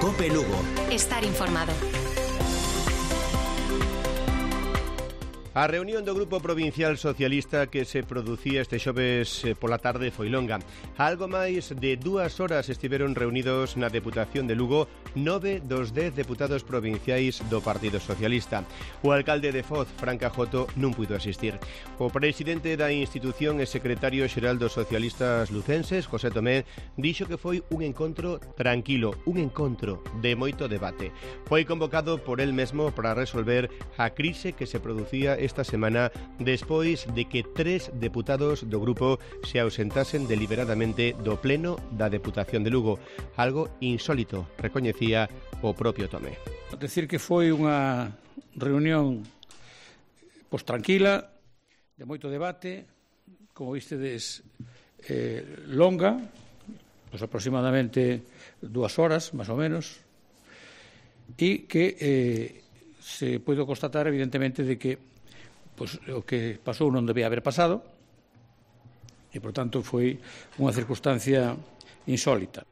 COPE Lugo. Estar informado. A reunión do Grupo Provincial Socialista que se producía este xoves pola tarde foi longa. Algo máis de 2 horas estiveron reunidos na Deputación de Lugo 9 dos 10 deputados provinciais do Partido Socialista. O alcalde de Foz, Fran Cajoto, non puido asistir. O presidente da institución e secretario xeral dos socialistas lucenses, José Tomé, dixo que foi un encontro tranquilo, un encontro de moito debate. Foi convocado por el mesmo para resolver a crise que se producía esta semana despois de que 3 deputados do grupo se ausentasen deliberadamente do pleno da Deputación de Lugo, algo insólito, recoñecía o propio Tomé. Decir que foi unha reunión tranquila, de moito debate, como vistedes, longa, aproximadamente 2 horas, máis ou menos, e que se pode constatar evidentemente de que o que pasou non debía haber pasado e, por tanto, foi unha circunstancia insólita.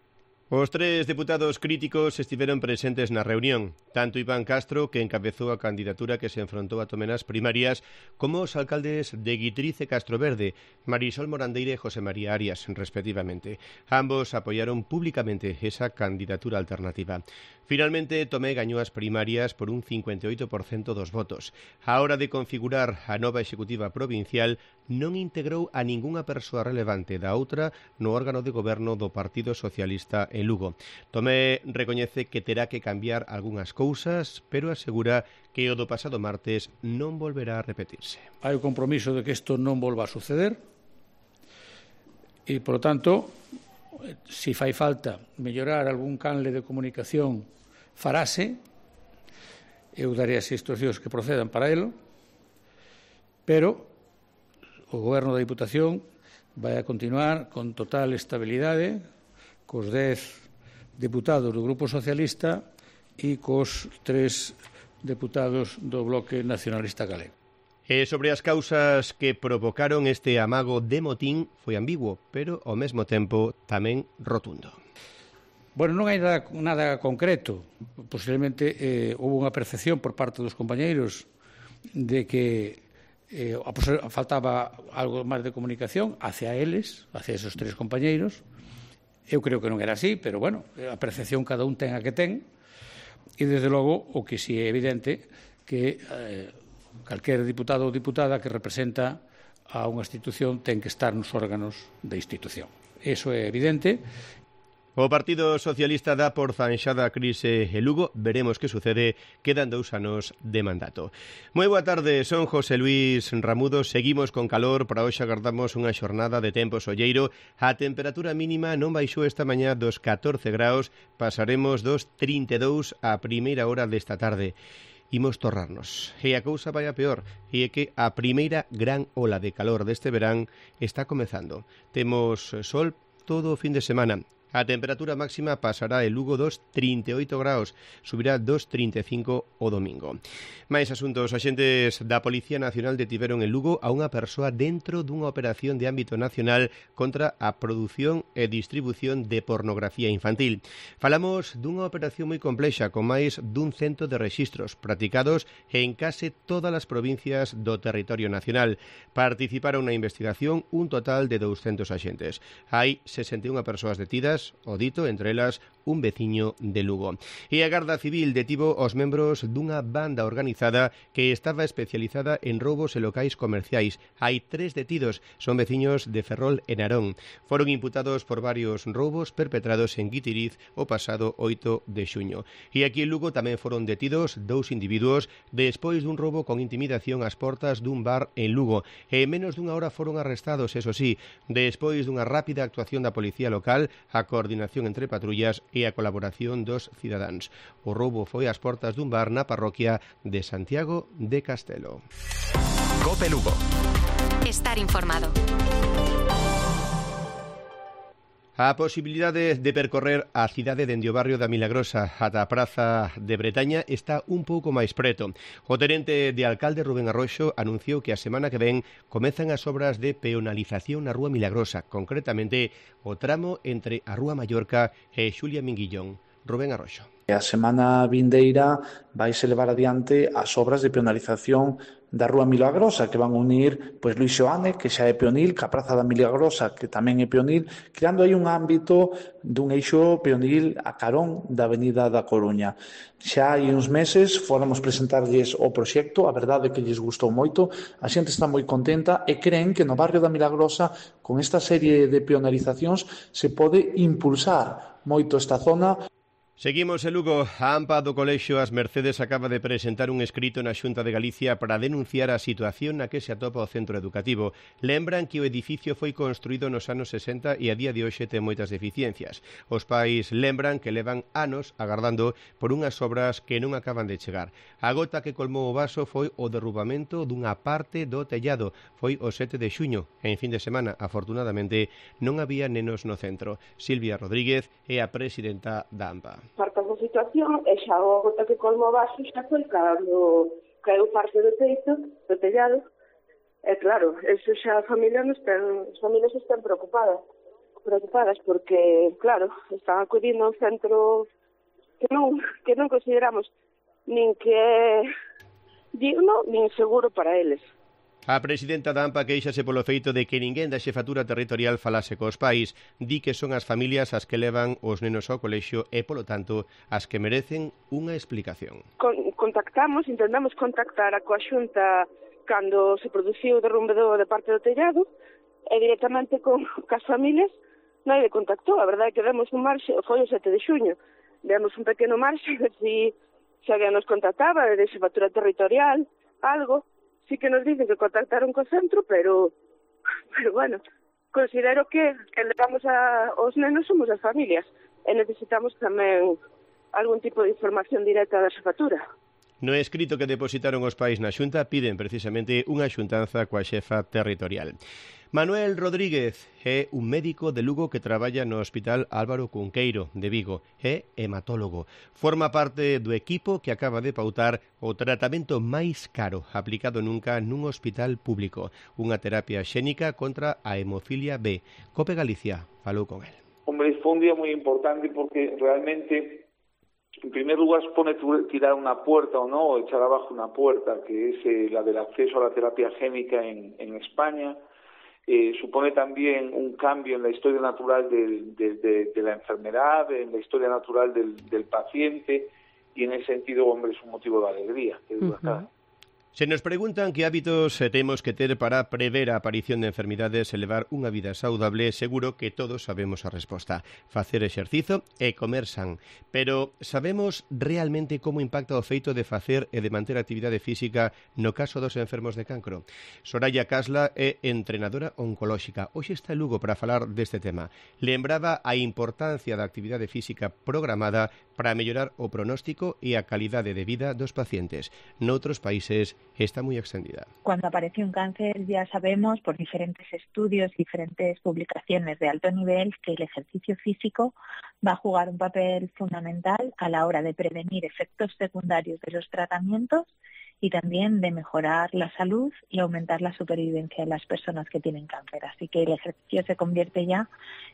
Os 3 deputados críticos estiveron presentes na reunión, tanto Iván Castro, que encabezou a candidatura que se enfrontou a Tomé nas primarias, como os alcaldes de Guitriz e Castroverde, Marisol Morandeira e José María Arias, respectivamente. Ambos apoiaron públicamente esa candidatura alternativa. Finalmente, Tomé gañou as primarias por un 58% dos votos. A hora de configurar a nova executiva provincial, non integrou a ningunha persoa relevante da outra no órgano de goberno do Partido Socialista en Lugo. Tomé recoñece que terá que cambiar algunhas cousas, pero asegura que o do pasado martes non volverá a repetirse. Hai o compromiso de que isto non volva a suceder e, por tanto, se fai falta mellorar algún canle de comunicación, farase. Eu darei as instruccións que procedan para elo, pero o Goberno da Diputación vai a continuar con total estabilidade cos 10 deputados do Grupo Socialista e cos 3 deputados do Bloque Nacionalista Galego. E sobre as causas que provocaron este amago de motín foi ambiguo, pero ao mesmo tempo tamén rotundo. Bueno, non hai nada concreto. Posiblemente houve unha percepción por parte dos compañeiros de que faltaba algo máis de comunicación hacia eles, hacia esos 3 compañeiros. Eu creo que non era así, pero, bueno, a percepción cada un ten a que ten. E, desde logo, o que si é evidente que calquer diputado ou diputada que representa a unha institución ten que estar nos órganos da institución. Eso é evidente. O Partido Socialista dá por zanxada a crise en Lugo. Veremos que sucede. Quedan 2 anos de mandato. Moi boa tarde, son José Luis Ramudo. Seguimos con calor. Para hoxe agardamos unha xornada de tempo solleiro. A temperatura mínima non baixou esta mañá dos 14 graus. Pasaremos dos 32 a primeira hora desta tarde. Imos torrarnos. E a cousa vai a peor. E é que a primeira gran ola de calor deste verán está comezando. Temos sol todo o fin de semana. A temperatura máxima pasará en Lugo dos 38 graus, subirá dos 35 o domingo. Mais asuntos, axentes da Policía Nacional detiveron en Lugo a unha persoa dentro dunha operación de ámbito nacional contra a produción e distribución de pornografía infantil. Falamos dunha operación moi complexa con máis dun 100 de rexistros practicados en case todas as provincias do territorio nacional. Participaron na investigación un total de 200 axentes. Hai 61 persoas detidas, o dito, entre elas un veciño de Lugo. E a Garda Civil detivo os membros dunha banda organizada que estaba especializada en roubos en locais comerciais. Hai 3 detidos, son veciños de Ferrol e Narón. Foron imputados por varios roubos perpetrados en Guitiriz o pasado 8 de xuño. E aquí en Lugo tamén foron detidos 2 individuos despois dun roubo con intimidación ás portas dun bar en Lugo. E en menos dunha hora foron arrestados, eso sí, despois dunha rápida actuación da policía local, a coordinación entre patrullas e a colaboración dos cidadáns. O roubo foi ás portas dun bar na parroquia de Santiago de Castelo. COPE Lugo. Estar informado. A posibilidade de percorrer a cidade dende o barrio da Milagrosa ata a Praza de Bretaña está un pouco máis preto. O tenente de alcalde Rubén Arroxo anunciou que a semana que ven comezan as obras de peonalización na Rúa Milagrosa, concretamente o tramo entre a Rúa Mallorca e Xulia Minguillón. Rubén Arroxo. A semana vindeira vaise levar adiante as obras de peonalización da Rúa Milagrosa, que van unir Luis Xoane, que xa é peonil, ca Praza da Milagrosa, que tamén é peonil, creando aí un ámbito dun eixo peonil a carón da Avenida da Coruña. Xa hai uns meses fóramos presentarlles o proxecto, a verdade é que lles gustou moito, a xente está moi contenta e creen que no barrio da Milagrosa, con esta serie de peonalizacións, se pode impulsar moito esta zona. Seguimos en Lugo. A AMPA do Colexio As Mercedes acaba de presentar un escrito na Xunta de Galicia para denunciar a situación na que se atopa o centro educativo. Lembran que o edificio foi construído nos anos 60 e a día de hoxe ten moitas deficiencias. Os pais lembran que levan anos agardando por unhas obras que non acaban de chegar. A gota que colmou o vaso foi o derrubamento dunha parte do tellado. Foi o 7 de xuño. En fin de semana, afortunadamente, non había nenos no centro. Silvia Rodríguez é a presidenta da AMPA. Parte da situación e xa o gota que colmo o vaso xa foi cando caeu parte do teito, do tellado, e claro, eso xa as familias están preocupadas porque, claro, están acudindo a un centro que non consideramos nin que é digno nin seguro para eles. A presidenta da AMPA queixase polo feito de que ninguén da xefatura territorial falase cos pais, di que son as familias as que levan os nenos ao colexio e, polo tanto, as que merecen unha explicación. Intentamos contactar a coa Xunta cando se produciu o derrumbe de parte do tellado e directamente con as familias non contactou. A verdade é que demos un marxe, foi o 7 de xuño, demos un pequeno marxe se alguén nos contactaba de xefatura territorial, algo. Sí que nos dicen que contactaron co centro, pero bueno, considero que levamos aos nenos somos as familias e necesitamos tamén algún tipo de información directa da xefatura. No escrito que depositaron os pais na Xunta piden precisamente unha xuntanza coa xefa territorial. Manuel Rodríguez é un médico de Lugo que traballa no Hospital Álvaro Cunqueiro de Vigo. É hematólogo. Forma parte do equipo que acaba de pautar o tratamento máis caro aplicado nunca nun hospital público. Unha terapia xénica contra a hemofilia B. Cope Galicia falou con el. Hombre, fue un día muy importante porque realmente... En primer lugar, supone tirar una puerta o no, o echar abajo una puerta, que es la del acceso a la terapia génica en España. Supone también un cambio en la historia natural de la enfermedad, en la historia natural del paciente, y en ese sentido, hombre, es un motivo de alegría, que duda cabe. Se nos preguntan que hábitos temos que ter para prever a aparición de enfermidades e levar unha vida saudable, seguro que todos sabemos a resposta. Facer exercizo e comer san. Pero sabemos realmente como impacta o feito de facer e de manter actividade física no caso dos enfermos de cancro? Soraya Casla é entrenadora oncolóxica. Hoxe está en Lugo para falar deste tema. Lembraba a importancia da actividade física programada para mellorar o pronóstico e a calidade de vida dos pacientes. Noutros países está muy extendida. Cuando aparece un cáncer ya sabemos por diferentes estudios, diferentes publicaciones de alto nivel que el ejercicio físico va a jugar un papel fundamental a la hora de prevenir efectos secundarios de los tratamientos y también de mejorar la salud y aumentar la supervivencia de las personas que tienen cáncer. Así que el ejercicio se convierte ya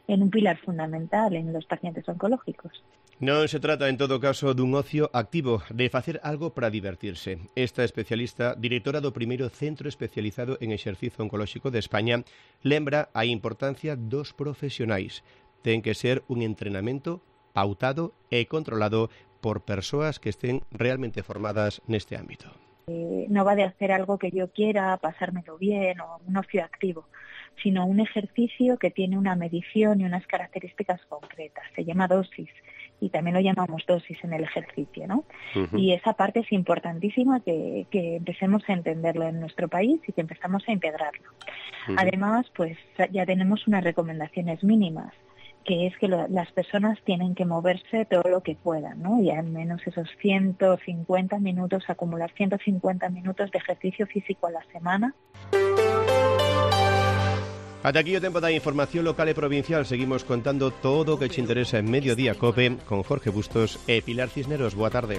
en un pilar fundamental en los pacientes oncológicos. Non se trata, en todo caso, dun ocio activo, de facer algo para divertirse. Esta especialista, directora do primeiro centro especializado en exercizo oncolóxico de España, lembra a importancia dos profesionais. Ten que ser un entrenamento pautado e controlado por persoas que estén realmente formadas neste ámbito. No va de hacer algo que yo quiera, pasármelo bien o un ocio activo, sino un ejercicio que tiene una medición y unas características concretas. Se llama dosis y también lo llamamos dosis en el ejercicio, ¿no? Y esa parte es importantísima que empecemos a entenderlo en nuestro país y que empezamos a integrarlo. Además, pues ya tenemos unas recomendaciones mínimas, que es que las personas tienen que moverse todo lo que puedan, ¿no? Y al menos esos 150 minutos, acumular 150 minutos de ejercicio físico a la semana. Ata aquí o tempo da información local e provincial. Seguimos contando todo o que te interesa en Mediodía Cope con Jorge Bustos e Pilar Cisneros. Boa tarde.